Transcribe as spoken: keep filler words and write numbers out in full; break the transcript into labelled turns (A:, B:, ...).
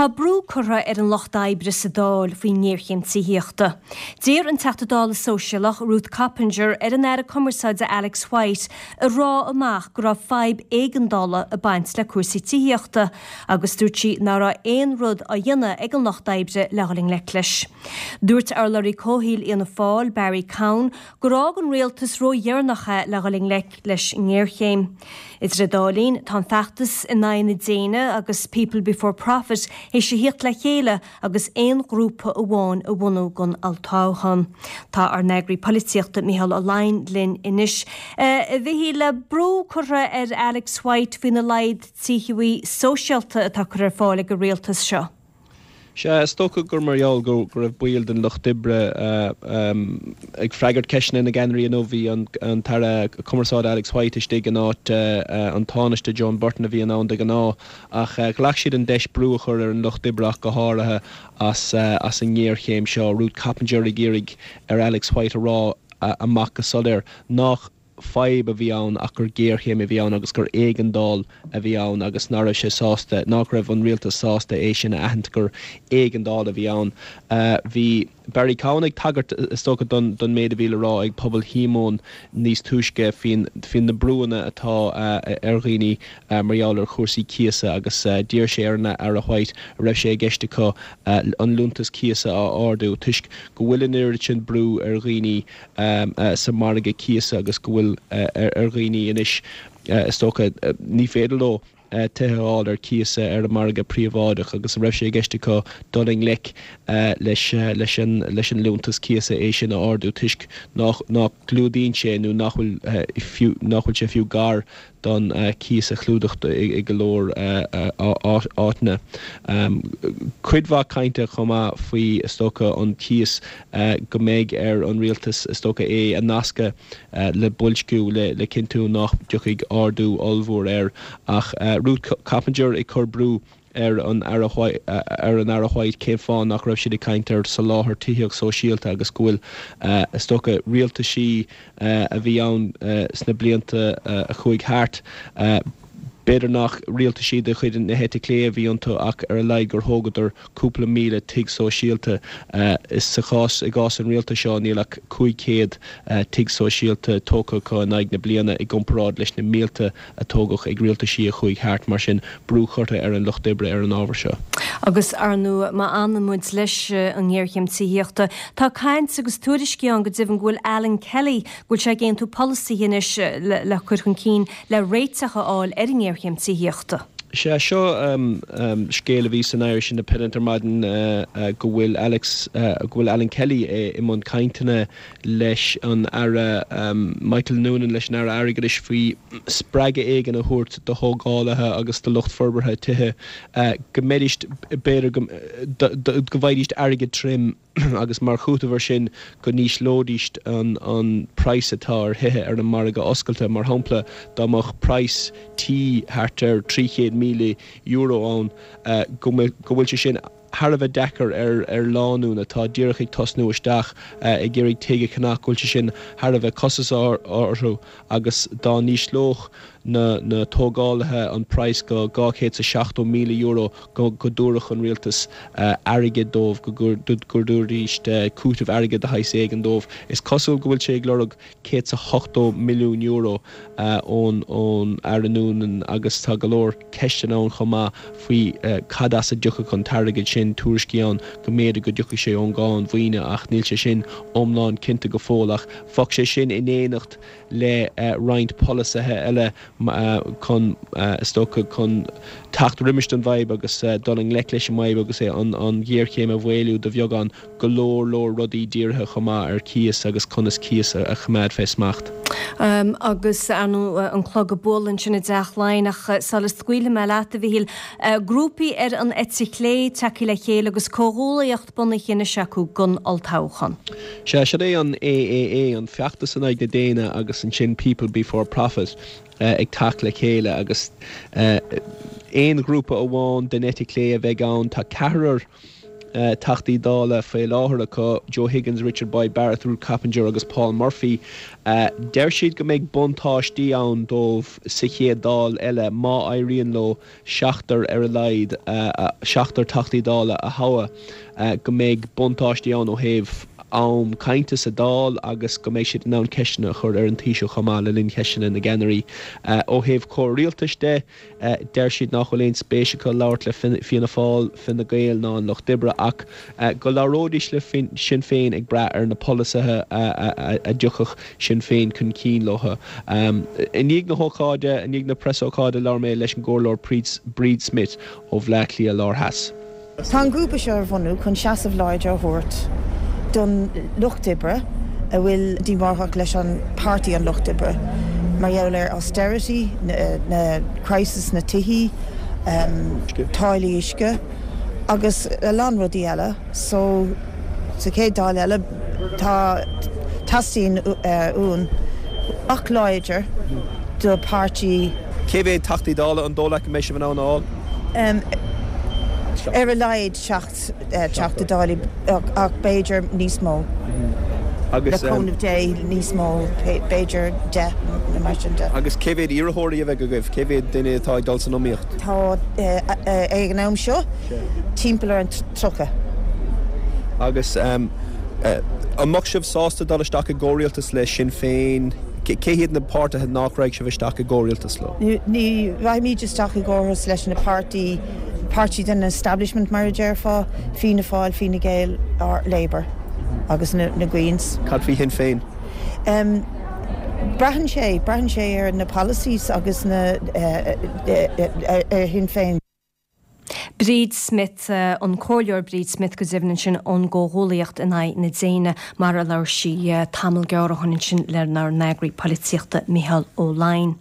A: Tá brú curtha ar an lucht oibre sa Dáil faoin ngéarchéim tithíochta. D'iarr an Teachta Dála Sóisialach Ruth Coppinger ar an Aire Cumarsáide Alex White a rá amach go raibh fadhb éigeandála ag baint le cúrsaí tithíochta agus dúirt sí nach raibh aon rud á dhéanamh ag an lucht oibre le dhul i ngleic leis. Dúirt urlabhraí comhshaoil Fhianna Fáil Barry Cowen gur fhág an rialtas ródheireanach é le dhul i ngleic leis an ngéarchéim. Idir an dá linn tá an feachtas in aghaidh na déine agus People Before Profit théis a thíocht le chéile agus aon ghrúpa amháin a bhunú don olltoghchán. Tá ár n-eagraí polaitíochta Micheál Ó Laighin linn anois. A Mhichíl brú curtha ar Alex White faoina laghad tithíochta sóisialta atá curtha ar fáil ag an rialtas seo.
B: Sea is dócha gur mar gheall go go raibh baill den lucht oibre ag freagairt ceisteanna na gceannairí inniu bhí an tAire Cumarsáide Alex White istigh in áit an Tánaiste Joan Burton a bhí ann de ghnáth ach ghlac siad an deis brú a chur ar an lucht oibre ach go háirithe as as an ngéarchéim seo Ruth Coppinger ag iarraidh ar Alex White a rá amach go soiléir nach fadhb a bhí ann ach gur géarchéim a bhí ann agus gur éigeandáil a bhí ann agus nach raibh sé sásta nach raibh an rialtas sásta é sin a aithint gur éigeandáil a bhí ann. Bhí Barry Cowen ag tagairt is dócha don don méid a bhí le rá ag pobal Shíomóin níos túisce faoin faoin na brúanna atá ar dhaoine mar gheall ar chúrsaí cíosa agus d'iarr sé ar an Aire White a raibh sé i gceist acu an liúntas cíosa a ardú toisc go bhfuil an oiread sin brú ar dhaoine sa margadh cíosa agus go bhfuil ar dhaoine anois is dócha ní féidir leo tithe a fháil ar cíos ar an margadh príobháideach agus a raibh sé i gceist acu dul i ngleic leis leis an leis an liúntas cíosa é sin a ardú toisc nach nach gclúdaíonn sé nó nach bhfuil fiú nach bhfuil sé fiú gar don cíos a chlúdach i go leor áiteanna. Cuid mhaith cainte chomh maith faoi is dócha an cíos go mbeidh ar an rialtas is dócha é a nascadh le boilsciú le le cinntiú nach dtiocfaidh ardú ollmhór air ach Ruth Coppinger ag cur brú ar an Aire ar an Aire White cén fáth nach raibh siad ag caint ar soláthar tithíocht sóisialta agus go bhfuil is dócha rialtaisí a bhí ann sna blianta a chuaigh thart. B'fhéidir nach rialtaisí de chuid na heite clé a bhí iontu ach ar a laghad gur thógadar cúpla míle tigh sóisialta is sa chás i gcás an rialtais seo níl ach cúig chéad tigh sóisialta tógtha acu in aghaidh na bliana i gcomparáid leis na mílte a tógadh ag rialtaisí a chuaigh thart mar sin brú curtha ar an lucht oibre ar an ábhar seo.
A: Agus ar ndóigh má fhanann muid leis an ngéarchéim tithíochta, tá caint agus tuairiscí ann go deimhin go bhfuil Alan Kelly go bhfuil sé ag aontú polasaithe anois le cur chun cinn le réiteach a fháil ar an ngéarchéim tithíochta.
B: Sea seo scéal a bhí san Irish Independent ar maidin go bhfuil Alex go bhfuil Alan Kelly i mbun cainteanna leis an Aire Michael Noonan leis an Aire Airgeadais faoi spreagadh éigin a thabhairt do thógálaithe agus do lucht forbartha tithe go mbeidís b'fhéidir go go bhfaighidís airgead tirim agus mar chúiteamh air sin go n-ísleoidís an an praghas atá ar thithe ar an margadh oscailte mar shampla dá mbeadh praghas tí thart ar trí chéad míle euro ann go go bhfuil sé sin thar a bheith deacair ar ar lánúin atá díreach ag tosnú isteach ag iarraidh tigh a cheannach go bhfuil sé sin thar a bheith costasach orthu agus dá n-ísleodh na na tógálaithe an praghas go dhá chéad is a seachtó míle euro go go dtabharfadh an rialtas airgead dóibh go go dtabharfaidís cúiteamh airgid de shaghas éigin dóibh. Is cosúil go bhfuil sé ag lorg céad is a hochtó milliún euro ón ón Aire Noonan agus tá go leor ceisteanna ann chomh maith faoi cad as a dtiocfadh an t-airgead sin tuairiscí ann go mb'fhéidir go dtiocfaidh sé ón gcáin mhaoine ach níl sé sin iomlán cinnte go fóill ach bheadh sé sin in éineacht le roinnt polasaithe eile chun is dócha chun teacht roimis an bhfadhb agus dul i ngleic leis an bhfadhb agus é an an ghéarchéim a mhaolú de bheagán go leor leor rudaí dírithe chomh maith ar cíos agus conas cíos a choimeád fé smacht.
A: Um, agus anu an clog ag bualadh ansin i dTeach Laighean ach sula scaoilfidh mé leat a Mhichíl grúpaí ar an eite chlé tagtha le chéile agus comhghuaillíocht bunaithe anois acu don olltoghchán.
B: Sea sin é an AAA an feachtas in aghaidh na déine agus ansin People Before Profit ag teacht le chéile agus aon ghrúpa amháin den eite chlé a bheidh ann tá ceathrar Teachtaí Dála faoi láthair acu Joe Higgins, Richard Boyd Barrett, Ruth Coppinger agus Paul Murphy. Deir siad go mbeidh buntáistí ann dóibh sa chéad Dáil eile má éiríonn leo seachtar ar a laghad seachtar Teachtaí Dála a thoghadh go mbeidh buntáistí ann ó thaobh am cainte sa Dáil agus go mbeidh siad in ann ceisteanna a chur ar an Taoiseach chomh maith le linn cheisteanna na gceannairí. Ó thaobh comhrialtais de, deir siad nach bhfuil aon spéis acu labhairt le Fianna Fáil, Fine Gael ná an Lucht Oibre ach go labhróidís le Sinn Féin ag brath ar na polasaithe a dtiocfadh Sinn Féin chun cinn leo. I ndiaidh na hócáide, i ndiaidh na preasócáide labhair mé leis an gComhairleoir Bríd Smith ó Bhleá Cliath Láir Theas.
C: Tá an grúpa seo ar bhunú chun seasamh láidir a thabhairt don lucht oibre a bhfuil díomách leis an páirtí an lucht oibre mar gheall ar austerity, na crisis na tithí, táillí uisce agus a lán rudaí eile. So sa chéad Dáil eile tá teastaíonn uainn guth láidir do páirtí.
B: Cé mhéad Teachtaí Dála an dóigh leat go mbeidh sibh in ann a fháil?
C: Ar a laghad seacht Teachta Dála ach b'fhéidir níos mó. Le cúnamh Dé níos mó, b'fhéidir deich nó mar sin de.
B: Agus cé mhéad iarrthóirí a bheidh agaibh? Cé mhéad duine atá ag dul san iomaíocht?
C: Tá ag an am seo timpeall ar an tríocha.
B: Agus an mbeadh sibh sásta dul isteach i gcomhrialtas le Sinn Féin? Cé hiad na páirtithe nach raghadh sibh isteach i gcomhrialtas leo?
C: Ní raghaimid isteach i gcomhrialtas leis na páirtí, páirtí den establishment mar a déarfá, Fianna Fáil, Fine Gael or Labour agus na na Greens.
B: Cad faoi Shinn Féin?
C: Braitheann sé, braitheann sé ar na policies agus na ar Shinn Féin.
A: Bríd Smith an comhairleoir Bríd Smith go deimhin ansin ón gComhghuaillíocht in aghaidh na déine mar a labhair sí tamall gearr ó shin ansin lenár n-eagraí polaitíochta Micheál Ó Laighin.